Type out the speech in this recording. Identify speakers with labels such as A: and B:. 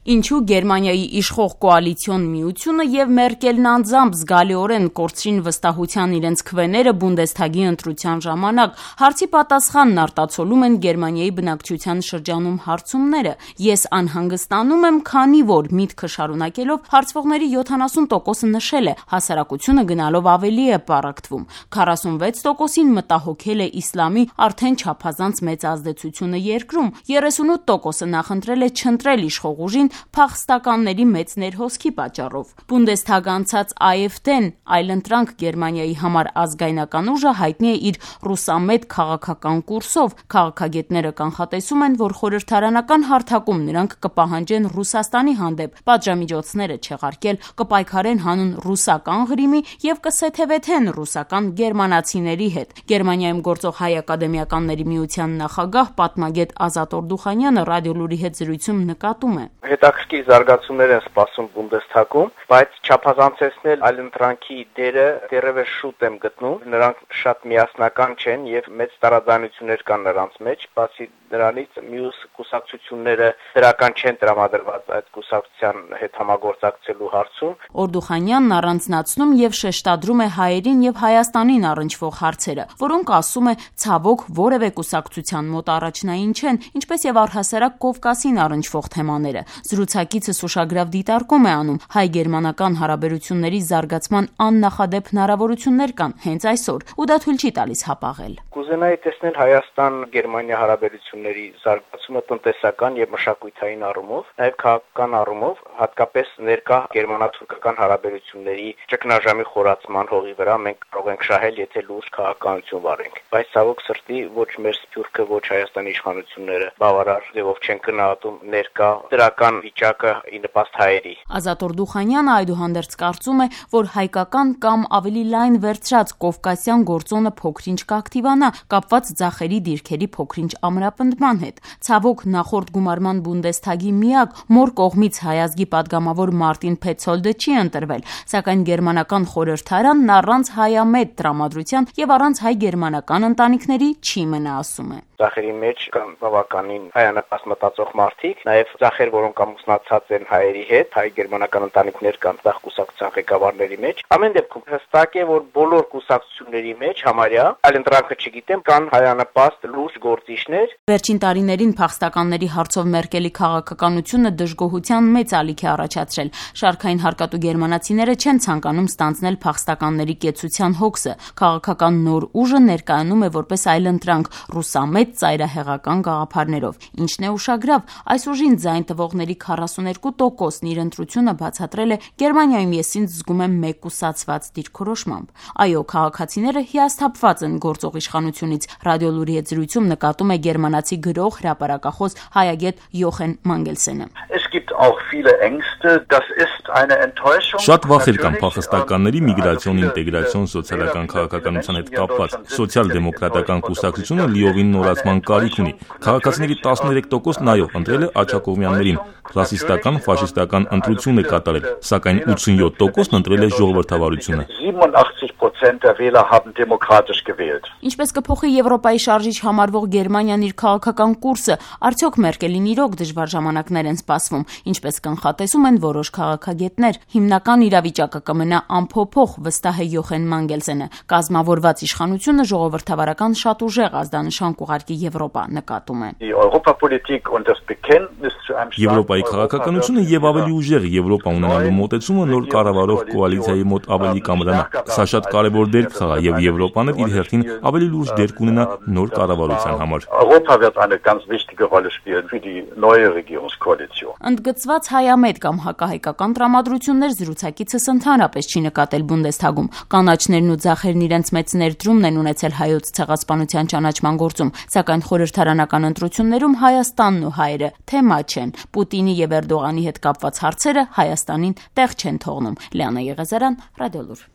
A: Ինչու Գերմանիայի իշխող կոալիցիոն միությունը եւ Մերկելն անձամբ զգալիորեն կորցրին վստահության իրենց քվեները Բունդեսթագի ընտրության ժամանակ, հարցի պատասխանն արտացոլում են Գերմանիայի բնակչության շրջանում հարցումները։ Ես անհանգստանում եմ, քանի որ միտքը շարունակելով հարցվողների 70%-ը նշել է, հասարակությունը գնալով ավելի է պառակտվում։ 46%-ին մտահոգել է իսլամի արդեն չափազանց մեծ ազդեցությունը երկրում, 38%-ը նախընտրել է չընտրել իշխող ուժին փախստականների մեծ ներհոսքի պատճառով։ Բունդեսթագ անցած AfD-ն այլընտրանք Գերմանիայի համար ազգայնական ուժը հայտնի է իր ռուսամետ քաղաքական կուրսով։ Քաղաքագետները կանխատեսում են, որ խորհրդարանական հարթակում նրանք կպահանջեն Ռուսաստանի հանդեպ պատժամիջոցները չեղարկել, կպայքարեն հանուն ռուսական ղրիմի եւ կսեթևեթեն ռուսական գերմանացիների հետ։ Գերմանիայում գործող Հայ ակադեմիականների միության նախագահ պատմագետ Ազատ Օրդուխանյանը ռադիոլուրի հետ զրույցում նկատում է.
B: Հետաքրքիր զարգացումներ են սպասում Բունդեսթագում, բայց չափազանցեցնել այլընտրանքի դերը դեռևս շուտ եմ գտնում։ Նրանք շատ միասնական չեն եւ մեծ տարաձայնություններ կան նրանց մեջ, բացի դրանից մյուս կուսակցությունները դրական չեն տրամադրված այդ կուսակցության հետ համագործակցելու հարցում։
A: Օրդուխանյանն առանձնացնում եւ շեշտադրում է հայերին եւ Հայաստանին առնչվող հարցերը, որոնք ասում է ցավոք որևէ կուսակցության մոտ առաջնային չեն, ինչպես եւ առհասարակ Կովկասին առնչվող թեմաները։ Զրուցակիցս ուշագրավ դիտարկում է անում հայ-գերմանական հարաբերությունների զարգացման աննախադեպ հնարավորություններ կան հենց այսօր, ու դա թույլ չի տալիս հապաղել։
B: Կուզենայի տեսնել Հայաստան-Գերմանիա հարաբերությունների զարգացումը տնտեսական եւ մշակութային առումով, նաեւ քաղաքական առումով, հատկապես ներկա գերմանա-թուրքական հարաբերությունների ճգնաժամի խորացման հողի վրա մենք կարող ենք շահել, եթե լուրջ քաղաքականություն վարենք։ Բայց ցավոք սրտի ոչ մեր Սփյուռքը, ոչ Հայաստանի իշխանությունները բավարար ձևով չեն գնահատում ներկա դրական վիճակը ի նպաստ հայերի։
A: Ազատ Օրդուխանյանը այդուհանդերձ կարծում է, որ հայկական կամ ավելի լայն վերցրած կովկասյան գործոնը փոքրինչ կակտիվանա, կապված ձախերի դիրքերի փոքրինչ ամրապնդման հետ։ Ցավոք նախորդ գումարման Բունդեսթագի միակ մոր կողմից հայազգի падգամավոր Մարտին Փետցոլդը չի ընտրվել, սակայն գերմանական խորհրդարանն առանց հայամետ տրամադրության եւ առանց հայ-գերմանական ընտանիքների չի մնա, ասում է։
B: Ձախերի մեջ կան բավականին հայանպաստ մտածող մարդիկ, նաև ձախեր, որոնք ամուսնացած են հայերի հետ, հայ-գերմանական ընտանիքներ կան ձախ կուսակցության ղեկավարների մեջ։ Ամեն դեպքում հստակ է, որ բոլոր կուսակցությունների մեջ համարյա այլընտրանքը չգիտեմ, կան հայանպաստ լուրջ գործիչներ։
A: Վերջին տարիներին փախստականների հարցով Մերկելի քաղաքականությունը դժգոհության մեծ ալիք է առաջացրել։ Շարքային հարկատու գերմանացիները չեն ցանկանում ստանձնել փախստականների կեցության հոգսը։ Քաղաքական նոր ուժը ներկայանում է որպես այլընտրանք ռուսամետ ծայրահեղական գաղափարներով։ Ինչն է ուշագրավ, այս ուժին ձայն տվողների 42%-ն իր ընտրությունը բացատրել է Գերմանիայում ես ինձ զգում եմ մեկուսացված դիրքորոշմամբ։ Այո, քաղաքացիները հիասթափված են գործող իշխանությունից։ Ռադիոլուրի հետ զրույցում նկատում է գերմանացի գրող, հրապարակախոս հայագետ Յոխեն Մանգելսենը։
C: Շատ վախեր կան փախստականների միգրացիոն, ինտեգրացիոն, սոցիալական քաղաքականության հետ կապված։ Սոցիալ-դեմոկրատական կուսակցությունը լիովին նորացման կարիք ունի։ Քաղաքացիների 13%-ն այո, ընտրել է Աջակովյաններին։ Ռասիստական, ֆաշիստական ընտրություն է կատարել, սակայն 87%-ն ընտրել է ժողովրդավարությունը։
A: Ինչպես կփոխի Եվրոպայի շարժիչ համարվող Գերմանիան իր քաղաքական կուրսը, արդյոք Մերկելին իրոք դժվար ժամանակներ են սպասվում, ինչպես կանխատեսում են որոշ քաղաքագետներ։ Հիմնական իրավիճակը կմնա անփոփոխ, վստահ է Յոխեն Մանգելսենը։ Կազմավորված իշխանությունը ժողովրդավարական շատ ուժեղ ազդանշան կուղարկի Եվրոպա, նկատում է։
C: Եվրոպայի քաղաքականությունը եւ ավելի ուժեղ Եվրոպա ունենալու մոտեցումը նոր կառավարող կոալիցիայի մոտ ավելի կամրանա։ Սա շատ կարևոր դեր կխաղա եւ Եվրոպան իր հերթին ավելի լուրջ դեր կունենա նոր կառավարության համար։
A: Ընդգծված հայամետ կամ հակահայկական տրամադրություններ զրուցակիցս ընդհանրապես չի նկատել Բունդեսթագում։ Կանաչներն ու ձախերն իրենց մեծ ներդրումն են ունեցել հայոց ցեղասպանության ճանաչման գործում, սակայն խորհրդարանական ընտրություններում Հայաստանն ու հայերը թեմա չեն։ Պուտինի եւ Էրդողանի հետ կապված հարցերը Հայաստանին տեղ չեն թողնում։ Լիանա Եղեզարյան, Ռադիոլուր։